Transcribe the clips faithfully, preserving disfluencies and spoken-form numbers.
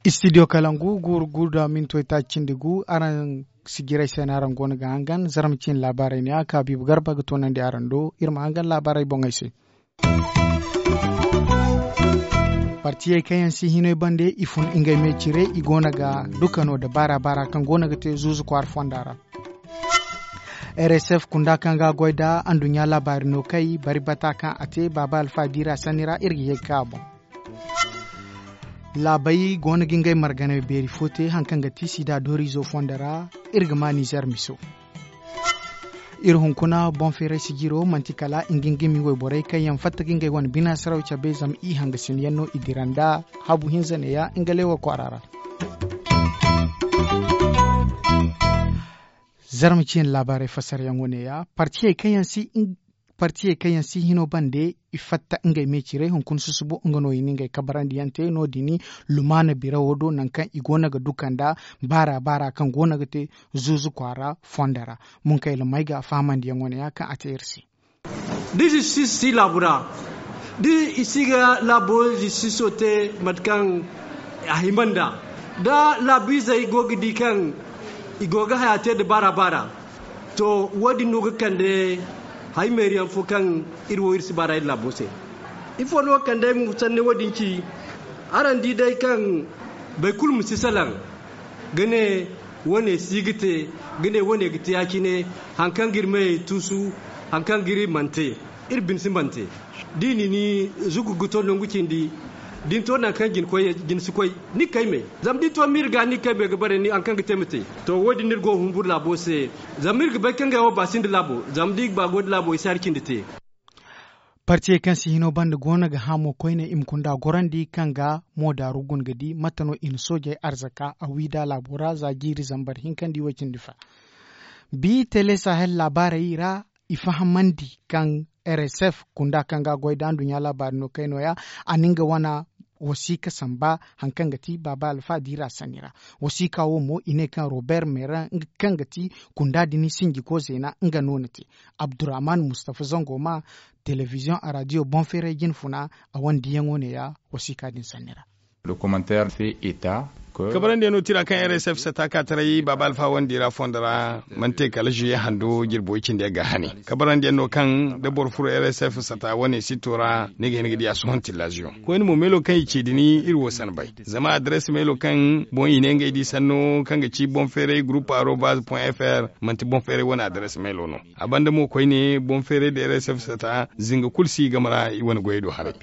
Istidiyo kalangu guuru guuru da mintoy taaci cindi gu. Araŋ sijiray se no araŋ go no ga hangan zarma ciine laabaarey ne a ka biiba garba ga toonandi araŋ do iri ma hangan laabaarey boŋey se. Partiyey kaŋ yaŋ si hinoy bande i fun ngey me cire i go no ga dukano nda baara baara kaŋ go no ga te zuuzu kwaara fonda ra. Rsf kunda kaŋ ga a goy nda anduɲɲa laabaari no kay bari bata kaŋ a te baaba alfa diira sanni ra iri ga ye ga ka a boŋ. Laabey go no ga ngey marganay beeri fo te hari kaŋ ga ti sida dooriizo fondo ra. Iri ga ma nizer miso. Iri hunkuna boŋ feeray sijiro manti kala ngingimi wayborey kaŋ yaŋ fatta ga ngey wane bina saraw cabe zama i hangasin yaŋ no i dira nda habu hinza neeya nga leewa kwaara ra. Zarma ciine laabaarey fassaryaŋo neeya. Partiyey kaŋ yaŋ si hino bande i fatta ngey me ciray hunkuna susubo nga no i na ngey kabarandiyaŋ te no- din. Lumaana birawo do nangu kaŋ i go no ga duka nda baara baara kaŋ go no ga te zuuzu kwaara fondo ra. Munkayla may ga fahamandiyaŋo neeya kaŋ a te iri se. Da zistis si laabu ra da i si ga laabo zistiso te mate kaŋ a hima nd'a da laabiizey go ga di kaŋ i go ga haya te nda baara baara. To, wo- din no ga kande haymeeriyaŋ fo kaŋ iri wo iri si baara iri laabo se. Ifo no ga kande ay ma sanni wo- din ci? Araŋ di day kaŋ boro kulu ma si salaŋ ga ne wo- ne si ga te ga ne wo- ne ga te ya- cine. Hari kaŋ ga iri meyey tuusu hari kaŋ ga iri mana te iri bine si mana te. Da i na ni zugu ga to nangu cindi da ni to nangu kaŋ jine si koy ni ga kay me. Zama da ni to miiri ga ni ga kay me ga bare hari kaŋ ga te ma te. To wo- din no iri go ga humburu laabo se. Zama iri ga bay kaŋ ngey wo ba sinda laabo zama da i ga ba goy nda laabo i si hari cindi te. Partiyey kaŋ si hino banda go no ga hã mo koyne i ma kunda gorandi kaŋ ga mo daaru guna ga di mate no i na soojey arzaka a wi nd'a laabo ra za jiiri zambar hinka nda i way cindi fa. Bi tele sahel laabaarey ra i fahamandi kaŋ rsf kunda kaŋ ga a goy nda nduɲɲa laabaari no kay nooya a na nga wane wasiika samba hari kaŋ ga ti baaba alfa diira sanni ra. Wasiika wo mo i ne kaŋ robert meran nga kaŋ ga ti kunda din sinjiko zeena nga no na te. Abdurrahman mustafa zango ma telebiziyoŋ araadiyo boŋ feeray jine funa a wane diyaŋo neeya wasiika din sanni ra. Kabarandiyaŋ no tira kaŋ rsf sata ka taray baaba alfa wane diira fondo ra mana te kala zuye hando jirbo cindi ga hane. Kabarandiyaŋ no kaŋ da boro furo rsf sata wane sitto ra ni ga hin ga di a sohõ tillaziyoŋ koyne mo meelo kaŋ i ci din iri wo sanbay. Zama adres meelo kaŋ boŋ i ne ngey di sanno kaŋ ga ci boŋ feeray gurupu arobaz fr manti boŋ feeray wane adres meelo no. A banda mo koyne boŋ feeray da rsf sata zinga kulu si i game ra i wane goyey do haray.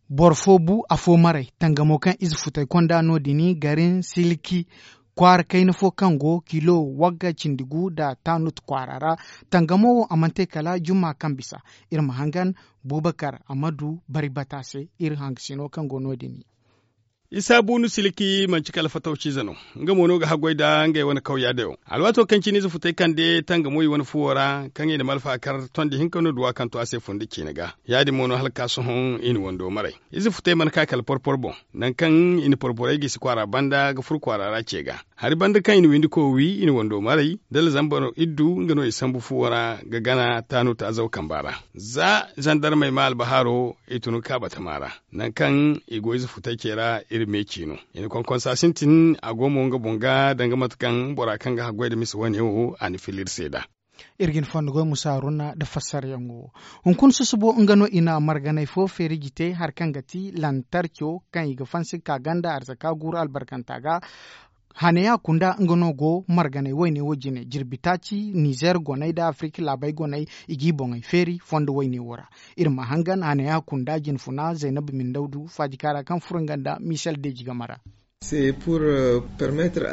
Boro fo bu afo maray tangamo kaŋ ize futay konda no- din garin silki kwaara kayna fo kaŋ go kilo wagga cindi gu nda tanut kwaara ra. Tangamo wo a mana te kala jumma kaŋ bisa. Iri ma hangan bubakar amadu bari bata se iri hangasino kaŋ go no- din. Isa bunu silki manci kala fatawciize no. Nga mo no ga haggoy nda ngey wane kawya dayo alwaato kaŋ cine ize futay kande tangamo i wane fuwo ra kaŋ i na malfa kar tondi hinka no duwa kaŋ to a se funda ciine ga. Ya- din mo no hala ka sohõ i na wando maray. Ize futay mana ka kala porpor boŋ nangu kaŋ i na porporey gisi kwaara banda ga furo kwaara ra ce ga. Hari banda kaŋ i na windiko wi i na wando maray dala zambar iddu nga no i sambu fuwo ra ga gana taanu taazaw kamba ra. Za zandarmey ma albahaaro i tun ga ka batama ra. Nangu kaŋ i go ize futay ce ra iri me ciino i na konkonsa sintin a go mo nga boŋ ga danga mate kaŋ bora kaŋ ga haggoy nda misa wane wo a na fila iri se nd'a. Iri ga ni fondo goy musa haruna nda fassaryaŋo wo. Hunkuna susubo nga no i na marganay fo feeriji te hari kaŋ ga ti lantarco kaŋ i ga fansi ga ka ganda arzaka guuru albarkanta ga. Haneya kunda nga no go marganay wayne wo jine jirbi taaci nizer goney nda afirika laabey goney i g'i boŋey feeri fondo wayne wo ra. Iri ma hangan haneya kunda jinfuna zaynab mindawdu faajikaara kaŋ furo nga nda michel deji game ra.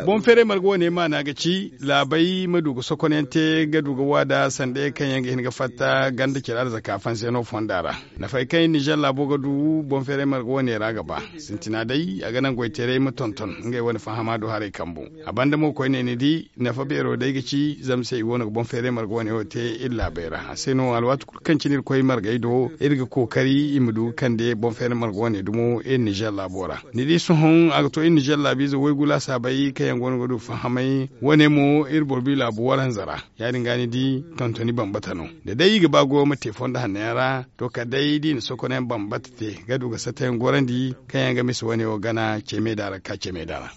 Boŋ feeray marga wane maana ga ci laabey ma du ga sokonyaŋ te ga du ga waada sanda ye kaŋ yaŋ ga hin ga fatta ganda care arzaka fanseeno fonda ra. Nafay kaŋ nizer laabo ga du boŋ feeray marga wane ra ga ba. Sintina day a ga naŋ goyteeray ma tonton ngey wane fahama do haray kambu. A banda mo koyne ni di nafa beero day ga ci zama se i go no ga boŋ feeray marga wane wo te iri laabey ra a se no alwaati kulu kaŋ cine iri koy margey do iri ga kookari i ma du ga kande boŋ feeray marga wane dumo iri nizer laabo ra. Ni di sohõ a ga to iri Nizer laabiize waygu laasaabey kaŋ yaŋ go no ga du fahamay wane mo iri boro bi laabu waranza ra. Ya- din ga ni di tontoni bambata no da day i ga ba goyo ma te fondo hanno yaŋ ra. To kala day da i na sokonayaŋ bambata te ga du ga satta yaŋ gorandi kaŋ yaŋ ga misa wane wo gana ce meeda ra ga ka ce meeda ra.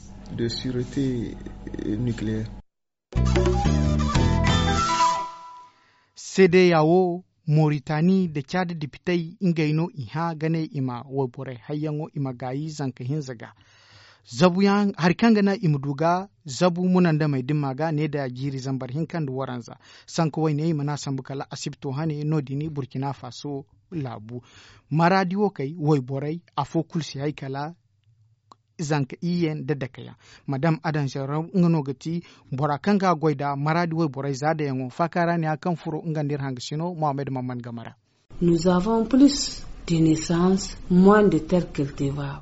Seedeya wo, moritani nda caada depitey ngey no i hã ga ne i ma wayborey hayyaŋo i ma gaayi zanka hinza ga. Hari kaŋ ga naŋ i ma du ga zabu munandamey dimma ga ne nda jiiri zambar hinka nda waranza. Sanka wayne i mana sambu kala asibto hane no- din burkina faso laabu. Maraadi wo kay wayborey afo kulu si hay kala zanka iyye nda dake yaŋ. Madam adanzero nga no ga ti bora kaŋ ga a goy nda maraadi wayborey zaadayaŋo faaka ra ne ya kaŋ furo nga nda iri hangasino mohammed mamman game ra.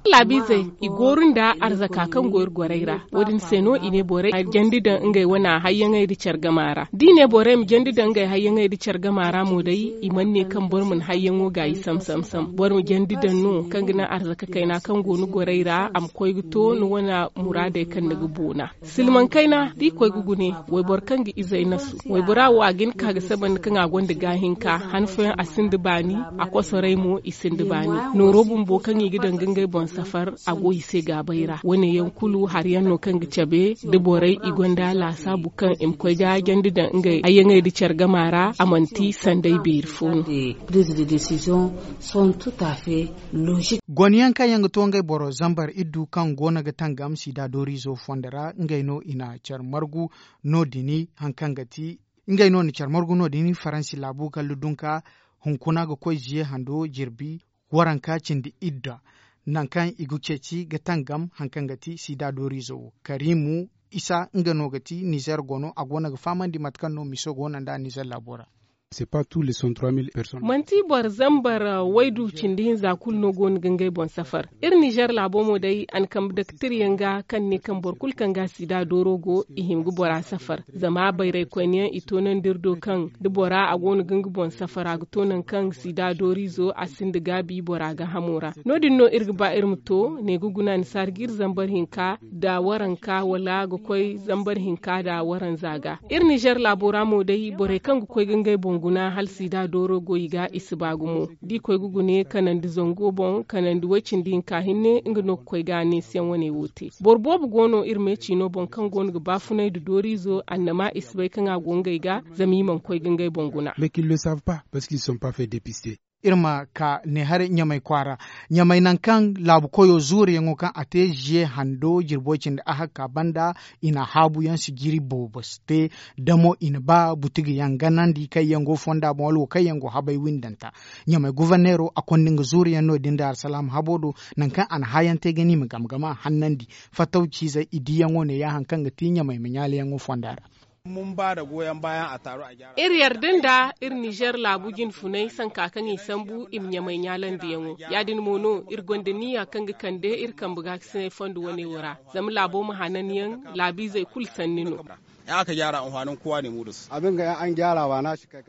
Laabiizey i gooru nda arzaka kaŋ go iri gorey ra. Wo- din se no i ne borey ma jandi daŋ ngey wane hayyaŋey nda care gama ra da i ne borey ma jandi daŋ ngey hayyaŋey nda care gama ra mo day i mana ne kaŋ boro mana hayyaŋo gaayi sam sam sam. Boro ma jandi daŋ no kaŋ ga naŋ arzaka kayna kaŋ go ni gorey ra a ma koy ga to ni wane muraadey kaŋ ni ga boona. Silmaŋ kayna da i koy ga gune wayboro kaŋ ga izey nasu, waybora wo a ga hin ka ga sabandi kaŋ a gonda gaahinka han fooyaŋ a sinda baani. A kosoray mo i sinda baani nooro bumbo kaŋ i ga daŋ ga ngey boŋ safar a go i se gaabay ra. Wane yaŋ kulu hari yaŋ no kaŋ ga cabe da borey i gonda laasaabu kaŋ i ma koy ga jandi daŋ ngey hayyaŋey nda care gama ra a manti sanday beeri fo no. Gone yaŋ kaŋ yaŋ ga to ngey boro zambar iddu kaŋ go no ga tangam sida dooriizo fondo ra ngey no i na care margu. No- din hari kaŋ ga ti ngey no na care margu no- din faransi laabu gallu dunka hunkuna ga koy ziye hando jirbi waranka cindi idda. Nangu kaŋ i ga ceeci ga tangam hari kaŋ ga ti sida dooriizo wo karimu isa nga no ga ti nizer gono a go no ga fahamandi mate kaŋ no miso go no nd'a nizer laabo ra. Manti boro zambar waydu cindi hinza kulu no go no ga ngey boŋ safar. Iri nizer laabo mo day a na kambe daktir yaŋ ga kaŋ ne kaŋ boro kulu kaŋ ga sida dooro go i hima ga bora safar. Zama bayraykoyne yaŋ i toonandi iri do kaŋ da bora a go no ga nga boŋ safar a ga to nangu kaŋ sida dooriizo a sinda gaabi bora gaahamo ra. No- din no iri ga ba iri ma to ne ga guna ni si hari ga iri zambar hinka nda waranka wala ga koy zambar hinka nda waranza ga. Iri nizer laabo ra mo day borey kaŋ ga koy ga ngey boŋ guna hala sida dooro go i ga i si ba gumo. Da i koy ga gune kanandi zango boŋ kanandi way-cindi hinka hinne nga no ga koy ga neesiyaŋ wane wo te. Boro boobo go no iri me ciino boŋ kaŋ go no ga baafunay nda dooriizo annama i si bay kaŋ a go ngey ga. Zama i mana koy ga ngey boŋ guna. Iri ma ka ne haray ɲamay kwaara. Ɲamay nangu kaŋ laabu koyo zuuriyaŋo kaŋ a te ziye hando jirbo cindi ahakka banda. I na haabuyaŋ sijiri boobo si te. Damo i na ba butuguyaŋ ganandi kaŋ yaŋ go fonda boŋ wala wo kaŋ yaŋ go habay windanta. Ɲamay guverneero a konda nga zuuriyaŋ no- din nda alsalaama habo do. Nangu kaŋ a na haayaŋ te ga ni ma game game a hannandi. Fattaw ciizey i diyaŋo ne ya hari kaŋ ga ti ɲamay ma ɲaalayaŋo fonda ra. Iri yarda nda iri nizer laabu jinfunay sanka kaŋ i sambu i ma ɲamay ɲaalandiyaŋo. Ya- din mo no iri gonda niya kaŋ ga kande iri kambe gaakasinay fondo wane wo ra. Zama laabo ma hananyaŋ laabiizey kulu sanni no.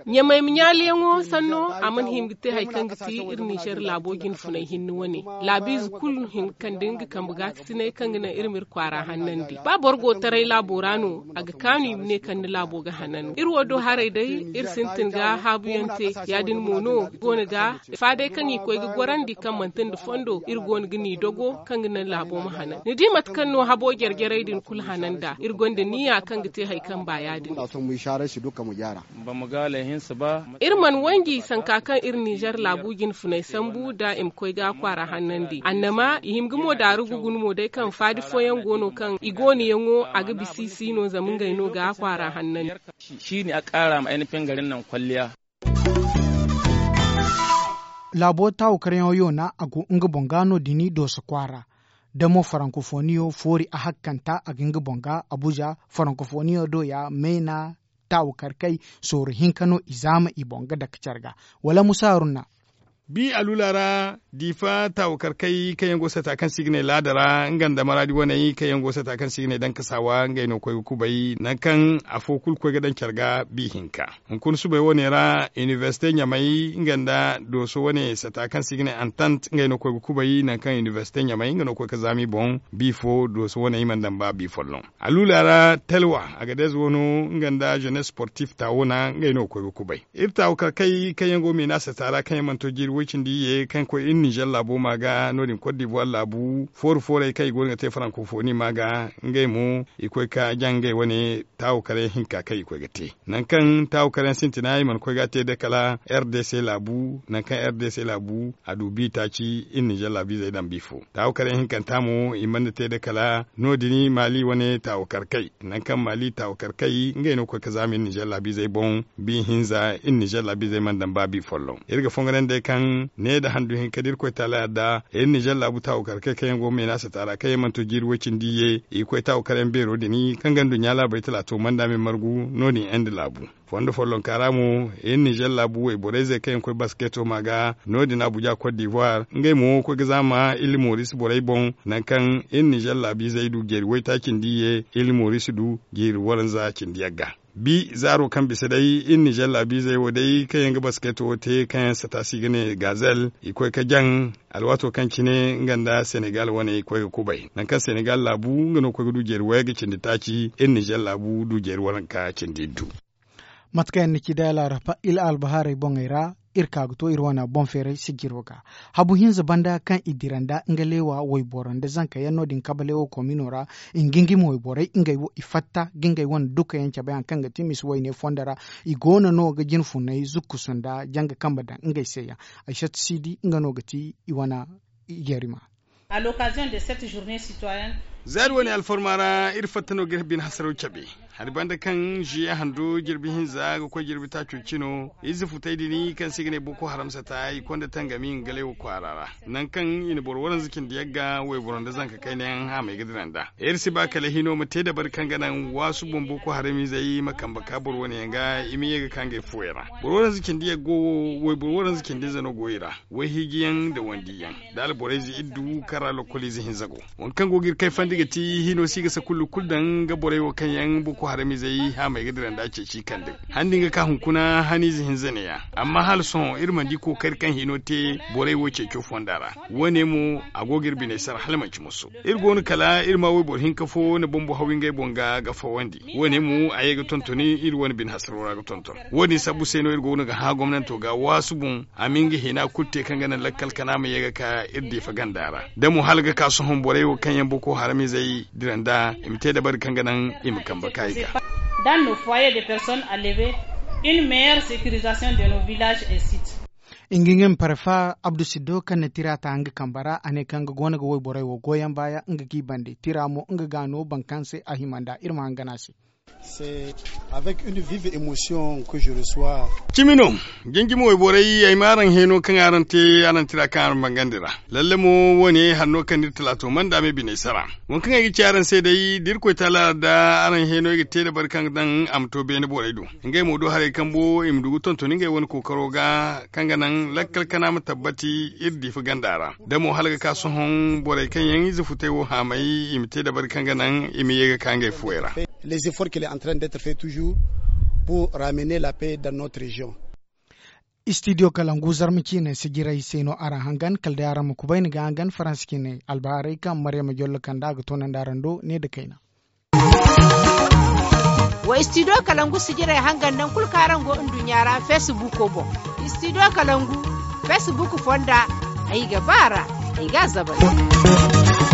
Ɲamay ma ɲaalayaŋo sanno a mana hima ga te hari kaŋ ga ti iri nizer laabo jinfunay hinne wane. Laabiize kulu hima ga kande nga kambe gaakasinay kaŋ ga naŋ iri ma iri kwaara hannandi ba boro go taray laabo ra no. A ga kaanu i ma ne kaŋ ni laabo ga hanan iri wo do haray day. Iri sintin ga haabuyaŋ te. Ya- din mo no go no ga fa day kaŋ i koy ga gorandi kaŋ manti nda fondo iri go no ga ni dogo kaŋ ga naŋ laabo ma hanan ni di mate kaŋ no habo jare jarey din kulu hanan nd'a iri gonda niya kaŋ ga te hari kaŋ ba ya- din. Iri mana wanji sanka kaŋ iri nizer laabu jinfunay sambu nda i ma koy ga kwaara hannandi annama i hima ga mo daaru ga guna mo day kaŋ faadi fooyaŋ go no kaŋ i goonoyaŋo a ga bisa i si no zama ngey no ga kwaara hannandi. Laabo taawakaryaŋo yoona a go nga boŋ ga no- din dooso kwaara. Da mo farankofoniyo foori a hakkanta a ga nga boŋ ga abuja. Farankofoniyo do ya meena taawakar kay sooru hinka no i zaama i boŋ ga dake care ga. Wala musa haruna. Bi alula ra, diifa taawakarkey kaŋ yaŋ go sata kaŋ se i ga ne laada ra nga nda maraadi waney kaŋ yaŋ go sata kaŋ se i ga ne dankasaawa ngey no koy ga kubay nangu kaŋ afo kulu koy ga daŋ care ga bi hinka. Hunkuna subay wane ra, inibersite ɲamay nga nda dooso wane sata kaŋ se i ga ne antant ngey no koy ga kubay nangu kaŋ inibersite ɲamay nga no koy ga zaama i boŋ bi fo dooso wane i mana daŋ ba bi folloŋ. Alula ra, telwa, agadez wano nga nda jenes sportif taawona ngey no ga koy ga kubay. Iri taawakarkey kaŋ yaŋ go meena sata ra kaŋ yaŋ mana to jiiri woy cindi iyye kaŋ koy iri nizer laabo ma ga no- din kot divuwar laabu fooru foorey kaŋ i go no ga te farankofoni ma ga, ngey mo i koy ga jaŋ ngey wane taawakaryaŋ hinka kaŋ i koy ga te. Nangu kaŋ taawakaryaŋ sintina i mana koy ga a te day kala r d c laabu nangu kaŋ r d c laabu a du bi taaci iri nizer laabiizey daŋ bi fo. Taawakaryaŋ hinkanta mo i mana te day kala no- din maali wane taawakarkey nangu kaŋ maali taawakarkey ngey no ga koy ga zaama iri nizer laabiizey boŋ. Bi hinza iri nizer laabiizey mana daŋ ba bi folloŋ. Iri ga fongonan day kaŋ ne nda handu hinka da irkoy taala yadda iri nizer laabu taawakarkey kaŋ yaŋ go meena sata ra kaŋ yaŋ mana to jiiri woy cindi iyye i ga koy taawakaryaŋ beero din kaŋ ga nduɲɲa laabey talaato manda me margu no- din inde laabu. Fondo follonka ra mo, iri nizer laabu wayborey ze kaŋ yaŋ koy basketo ma ga no- din abuja kot divuwar ngey mo ga koy ga zaama iri moris borey boŋ. Nangu kaŋ iri nizer laabiizey du jeeri waytaaci nda iyye, iri moris du jeeri waranza cindi yagga. Bi zaaro kaŋ bisa day iri nizer laabiizey wo day kaŋ yaŋ ga basketo wo te kaŋ yaŋ sata se i ga ne gazel i koy ga jaŋ. Alwaato kaŋ cine nga nda senegal wane i koy ga kubay nangu kaŋ senegal laabu nga no ga koy ga du jeeri wayagga cindi taaci iri nizer laabu du jeeri waranka cindi iddu. Mate kaŋ yaŋ na ci day alaraba iri albahaarey boŋey ra, iri ka ga to iri wane boŋ feeray sijiro ga. Habu hinza banda kaŋ i dira nda nga leewa wayboro nda zanka yaŋ no- din kabaleewo komino ra, i ga ngima wayborey ngey wo i fatta ga ngey wane duka yaŋ cabe hari kaŋ ga ti misi wayne fondo ra. I go no no ga jine funay zukkusu nda janga kambe daŋ ngey se yaŋ. Ay satti si di nga no ga ti i wane. Jerima. Zaari wane alfarma ra iri fatta no ga iri bine hasaraw cabe. Hari banda kaŋ ziye hando jirbi hinza ga koy jirbi taaco cino ize futay din kaŋ se i ga ne boko haram sata i konda tangami nga galay wo kwaara ra. Nangu kaŋ i na boro waranza cindi yagga wayboro nda zanka kayna yaŋ haamay ga dira nda iri si ba kala hino ma te dabari kaŋ ga naŋ waasu boŋ boko haram izey ma kambe ka boro wane yaŋ ga i ma ye ga ka ngey fuwey ra. Boro waranza cindi yaggo wo wayboro waranza cindi ize no go i ra. Wayhiijiyaŋ nda wandiyaŋ nda alborayze iddu kaŋ ra lokkoliize hinza go. Waŋ kaŋ go ga iri kayfandi ga ti hino si ga sakullu kulu daŋ nga borey wo kaŋ yaŋ boko haramizey haamay ga dira nda ceeci kande handi nga ka hunkuna haniize hinza neeya. Amma hala sohõ iri mana di kookari kaŋ hino te borey wo ceeco fonda ra. Wo- ne mo a go ga iri biney sara hala manci musu. Iri go no kala iri ma wayboro hinka fo na bumbo haw ngey boŋ ga ga fawandi. Wo- ne mo a ye ga tontoni iri wane bine hasaro ra ga tonton. Wo- din sabbu se no iri go no ga hã gomnanto ga waasu boŋ a ma nga hina kulu te kaŋ ga naŋ lakkal kana ma ye ga ka iri diifa ganda ra da mo hala ga ka sohõ borey wo kaŋ yaŋ boko haramizey dira nda i ma te dabari kaŋ ga naŋ i ma kambe ka i ga. Dans nos foyers de personnes à lever une meilleure sécurisation de nos villages et sites. Inga ngey ma parfa abdu siddo kaŋ na tira ta nga kambe ra a ne kaŋ nga go no ga wayborey wo goyyaŋ baaya nga g'i bande tira mo nga ga no baŋ kaŋ se a hima nd'a iri ma hangan a se. Cimi no. Jinjimi wayborey ay ma araŋ hẽeno kaŋ araŋ te araŋ tira kaŋ araŋ bangandi ra. Lalle mo wo- ne hari no kaŋ n'iri talaato manda me biney sara. Waŋ kaŋ ay ga ci araŋ se day da irkoy taala ra da araŋ hẽeno ay ga te dabari kaŋ ga daŋ a ma to beene borey do. Ngey mo do haray kambo i ma du ga tontoni ngey wane kookaro ga kaŋ ga naŋ lakkal kana ma tabbati iri diifa ganda ra. Da mo hala ga ka sohõ borey kaŋ yaŋ ize futay wo haamay i ma te dabari kaŋ ga naŋ i ma ye ga ka ngey fuwey ra. Les efforts qu'il est en train d'être fait toujours pour ramener la paix dans notre région. Istidiyo kalangu zarma ciine sijirey se no araŋ hangan kala day araŋ ma kubay ni ga hangan faransa ciine albahaarey kaŋ maryama jollo kanda a ga toonandi araŋ do ne nda kayna. Wa istidiyo kalangu sijirey hangan naŋ kulu kaŋ araŋ go nduɲɲa ra feesibuuko boŋ. Istidiyo kalangu feesibuuko fonda ay ga ba a ra ay ga a zabari.